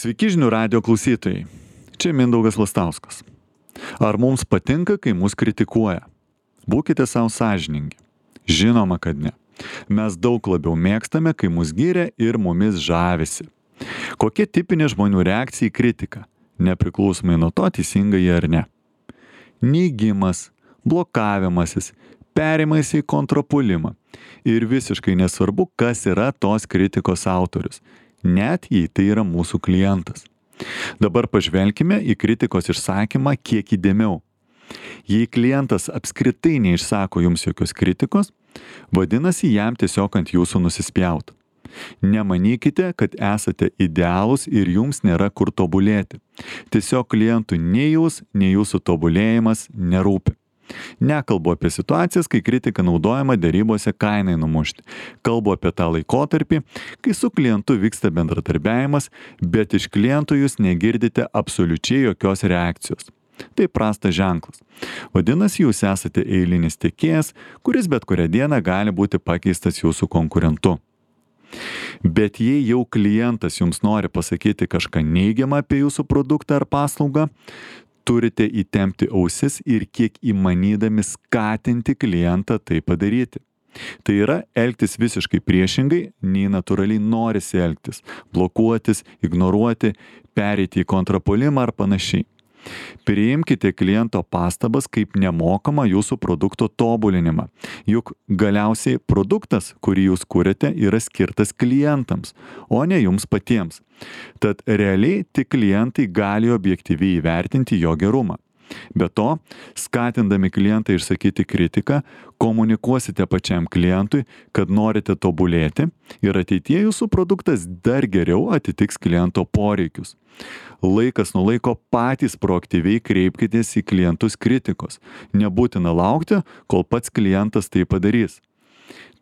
Sveiki žinių radio klausytojai. Čia Mindaugas Lastauskas. Ar mums patinka, kai mus kritikuoja? Būkite savo sąžiningi. Žinoma, kad ne. Mes daug labiau mėgstame, kai mus giria ir mumis žavisi. Kokia tipinė žmonių reakcija į kritiką? Nepriklausomai nuo to, teisinga jie ar ne. Neigimas, blokavimasis, perėjimas į kontrapuolimą. Ir visiškai nesvarbu, kas yra tos kritikos autorius. Net jei tai yra mūsų klientas. Dabar pažvelkime į kritikos išsakymą kiek įdėmiau. Jei klientas apskritai neišsako jums jokios kritikos, vadinasi jam tiesiog ant jūsų nusispjaut. Nemanykite, kad esate idealūs ir jums nėra kur tobulėti. Tiesiog klientui nei jūs, nei jūsų tobulėjimas nerūpi. Nekalbu apie situacijas, kai kritika naudojama derybose kainai numušti. Kalbu apie tą laikotarpį, kai su klientu vyksta bendradarbiavimas, bet iš kliento jūs negirdite absoliučiai jokios reakcijos. Tai prastas ženklas. Vadinasi, jūs esate eilinis tiekėjas, kuris bet kurią dieną gali būti pakeistas jūsų konkurentu. Bet jei jau klientas jums nori pasakyti kažką neigiamą apie jūsų produktą ar paslaugą, turite įtempti ausis ir kiek įmanydami skatinti klientą tai padaryti. Tai yra elgtis visiškai priešingai, nei natūraliai norisi elgtis, blokuotis, ignoruoti, pereiti į kontrapuolimą ar panašiai. Priimkite kliento pastabas kaip nemokamą jūsų produkto tobulinimą. Juk galiausiai produktas, kurį jūs kuriate, yra skirtas klientams, o ne jums patiems. Tad realiai tik klientai gali objektyviai įvertinti jo gerumą. Be to, skatindami klientą išsakyti kritiką, komunikuosite pačiam klientui, kad norite tobulėti ir ateityje jūsų produktas dar geriau atitiks kliento poreikius. Laikas nuo laiko patys proaktyviai kreipkitės į klientus kritikos. Nebūtina laukti, kol pats klientas tai padarys.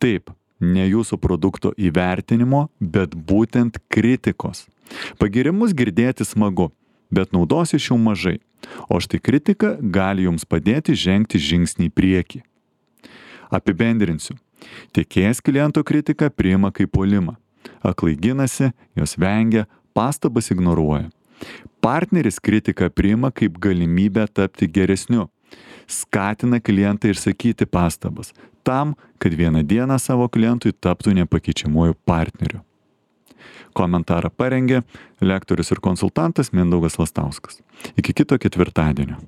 Taip, ne jūsų produkto įvertinimo, bet būtent kritikos. Pagirimus girdėti smagu, bet naudos iš jų mažai. O štai kritika gali jums padėti žengti žingsnį į priekį. Apibendrinsiu. Tiekėjas kliento kritiką priima kaip puolimą. Aklai ginasi, jos vengia, pastabas ignoruoja. Partneris kritiką priima kaip galimybę tapti geresniu. Skatina klientą išsakyti pastabas, tam, kad vieną dieną savo klientui taptų nepakeičiamuoju partneriu. Komentarą parengė lektorius ir konsultantas Mindaugas Lastauskas. Iki kito ketvirtadienio.